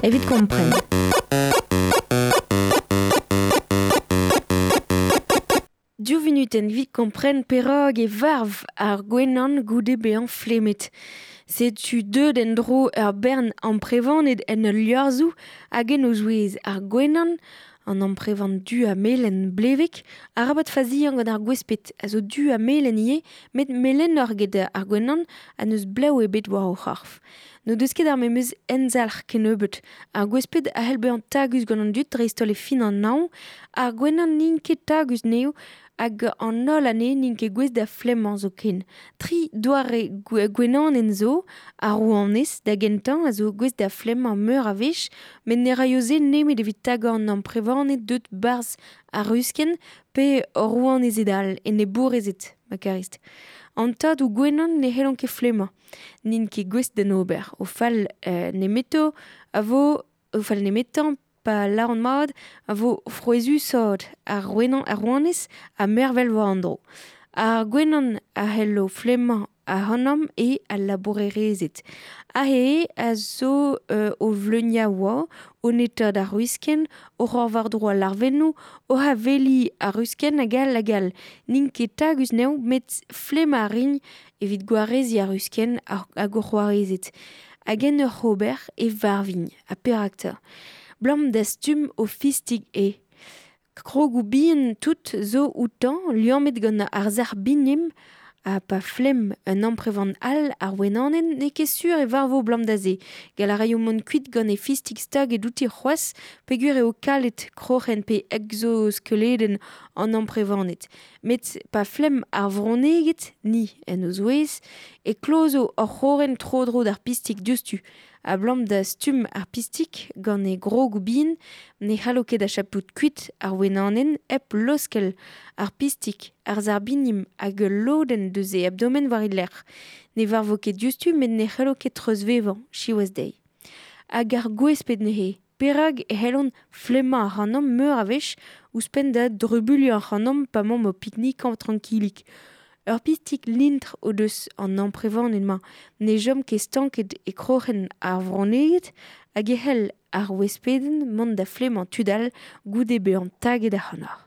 Evit kompren. Div vunutenn evit kompren perak e varv ar gwenan goude bezañ flemmet. Setu deuet en-dro ur bern amprevaned en ul liorzhoù hag en o zouez ar gwenan, an amprevan du ha melen blevek, arabat faziañ gant ar gwesped a zo du ha melen ivez, met melenoc'h get ar gwenan ha n'eus blev ebet war o c'horf. N'o deus ket ar memes emzalc'h kennebeut. Ar gwesped a c'hell bezañ tagus gant an dud dreist-holl e fin an hañv, ar gwenan n'int ket tagus anezho hag an holl anezhe n'int ket gouest da flemmañ zoken. Tri doare gwenanenn zo, ar rouanez da gentañ a zo gouest da flemmañ meur a wech, met ne raio se nemet evit tagañ an amprevaned deut 'barzh ar ruskenn pe rouanezed all, enebourezed, ma karist. An tadoù gwenan ne c'hellont ket flemmañ. N'int ket gouest d'en ober. O fall nemeto a vo o fall nemetañ pa lâran mat a vo frouezhusoc'h ar rouenañ ar rouanez ha mervel war an dro. Ar gwenan a c'hello flemmañ ac'hanomp eo al labourerezed. Aze a zo o vleuniañ oa, o netaat ar ruskenn, oc'h ober war-dro al larvennoù, oc'h aveliñ ar ruskenn hag all hag all. N'int ket tagus anezho met flemmañ a rin evit gwareziñ ar ruskenn hag o c'hoarezed. Hag en ur ober e varvin. Ha perak 'ta ? Blam da stumm o fistig eo. Krogoù bihan tout zo outañ, liammet gant ar sac'h binim, ha pa flemm un amprevan all ar wenanenn n'eo ket sur e varvo blam da se. Gall a raio mont kuit gant e fistig staget outi c'hoazh peogwir eo kalet kroc'hen pe egzoskeledenn an amprevaned. Met pa flemm ar vronneged, ni en o zouez, e klozo hor c'horren tro-dro d'ar pistig diouzhtu. Abalamour da stumm ar pistig gant e grogoù bihan ne c'hallo ket achapout kuit ar wenanenn hep laoskel ar pistig, ar sarbinim hag ul lodenn deus e abdomen war e lerc'h. Ne varvo ket diouzhtu met ne c'hallo ket treuzvevañ, siwazh dezhi. Hag ar gwesped neuze, perak e c'hellont flemmañ ac'hanomp meur a wech ouzhpenn da drubuilhañ ac'hanomp pa 'maomp o piknikañ trankilik. Ur pistig lintr o deus an amprevaned-mañ ne chom ket stanket e kroc'hen ar vronneged hag e c'hell ar wespedenn mont da flemmañ tud all goude bezañ taget ac'hanoc'h.